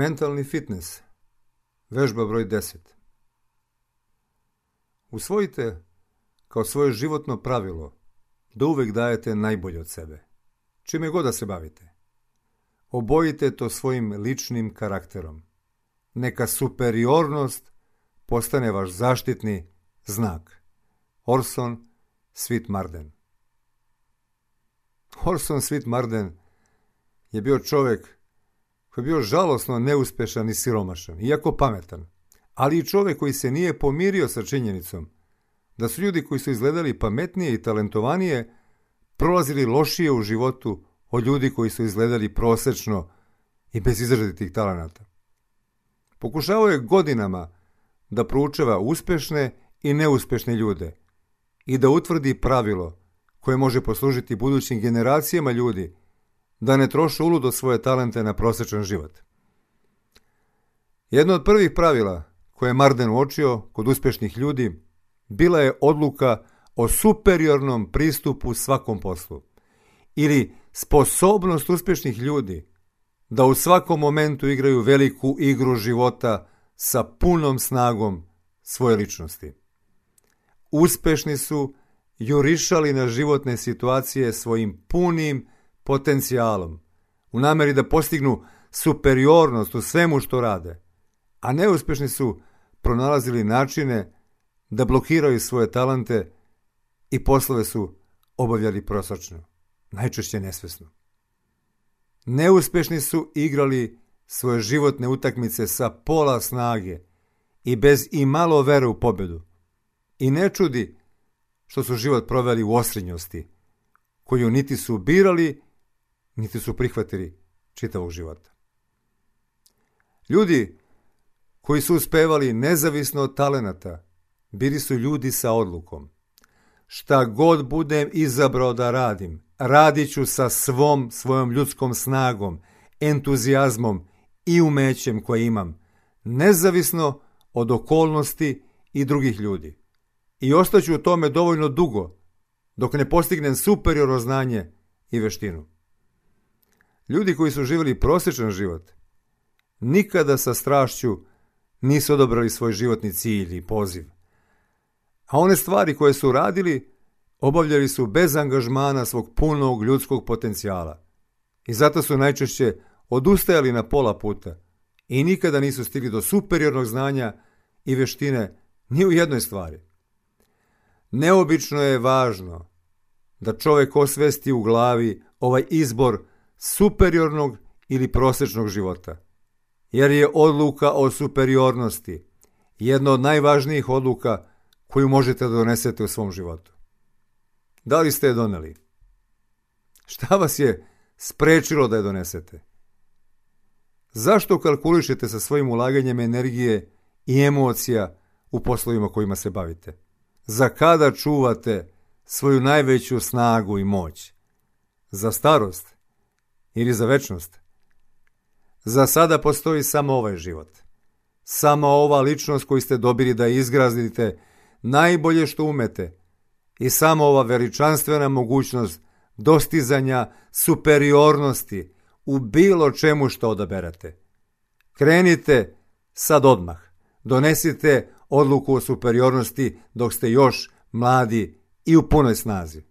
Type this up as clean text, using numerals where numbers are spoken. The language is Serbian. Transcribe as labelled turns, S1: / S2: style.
S1: Mentalni fitness. Vežba broj 10. Usvojite kao svoje životno pravilo da uvek dajete najbolje od sebe, čime god da se bavite. Obojite to svojim ličnim karakterom. Neka superiornost postane vaš zaštitni znak. Orson Swit Marden. Orson Swit Marden je bio čovjek koji je bio žalosno neuspešan i siromašan, iako pametan, ali i čovjek koji se nije pomirio sa činjenicom da su ljudi koji su izgledali pametnije i talentovanije prolazili lošije u životu od ljudi koji su izgledali prosečno i bez izrazitih talenata. Pokušavao je godinama da proučava uspešne i neuspešne ljude i da utvrdi pravilo koje može poslužiti budućim generacijama ljudi da ne troše uludo svoje talente na prosečan život. Jedno od prvih pravila koje je Marden uočio kod uspešnih ljudi bila je odluka o superiornom pristupu svakom poslu ili sposobnost uspešnih ljudi da u svakom momentu igraju veliku igru života sa punom snagom svoje ličnosti. Uspešni su jurišali na životne situacije svojim punim potencijalom, u nameri da postignu superiornost u svemu što rade, a neuspešni su pronalazili načine da blokiraju svoje talente i poslove su obavljali prosečno, najčešće nesvesno. Neuspešni su igrali svoje životne utakmice sa pola snage i bez imalo vere u pobedu. I ne čudi što su život proveli u osrednjosti, koju niti su birali, niti su prihvatili čitavog života. Ljudi koji su uspevali nezavisno od talenata, bili su ljudi sa odlukom. Šta god budem izabrao da radim, radit ću sa svojom ljudskom snagom, entuzijazmom i umećem koje imam, nezavisno od okolnosti i drugih ljudi. I ostaću u tome dovoljno dugo, dok ne postignem superiorno znanje i veštinu. Ljudi koji su živjeli prosječan život, nikada sa strašću nisu odabrali svoj životni cilj i poziv. A one stvari koje su radili, obavljali su bez angažmana svog punog ljudskog potencijala. I zato su najčešće odustajali na pola puta i nikada nisu stigli do superiornog znanja i veštine ni u jednoj stvari. Neobično je važno da čovjek osvesti u glavi ovaj izbor superiornog ili prosječnog života, jer je odluka o superiornosti jedna od najvažnijih odluka koju možete da donesete u svom životu. Da li ste je doneli? Šta vas je sprečilo da je donesete? Zašto kalkulišete sa svojim ulaganjem energije i emocija u poslovima kojima se bavite? Za kada čuvate svoju najveću snagu i moć? Za starost ili za večnost? Za sada postoji samo ovaj život. Samo ova ličnost koju ste dobili da izgraznite najbolje što umete i samo ova veličanstvena mogućnost dostizanja superiornosti u bilo čemu što odaberete. Krenite sad odmah. Donesite odluku o superiornosti dok ste još mladi i u punoj snazi.